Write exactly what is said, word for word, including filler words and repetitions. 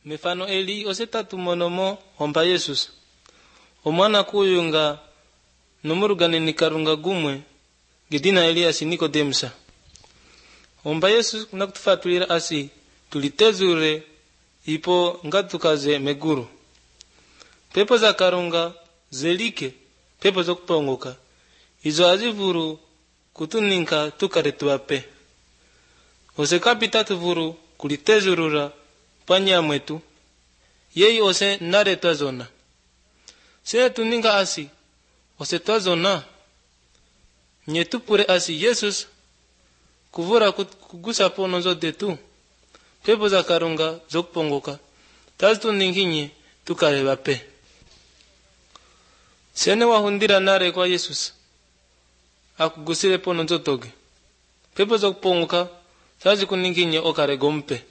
mifano eli osetatu monomo omba Yesus omwana kuyunga numurugane nikarunga gumwe gidina Elias Nikodemusa omba Yesu nakutufatulira asi tulitezure ipo ngatukaze meguru pepo za karunga zelike pepo zo kupongoka izo azivuru kutuninka tukaretuape ose kapita tuvuru kulitezurura panya mwetu yei ose nare twazona se tuninga asi ose twazona nyetupure asi Yesus kuvura kugusa pono zote tu pepo za karunga zo kupongoka tazitu ninginye tukareba pe sene wahundira nare kwa Yesus akugusire pono zotoge pepo zo kupongoka tazi kuninginye okare gompe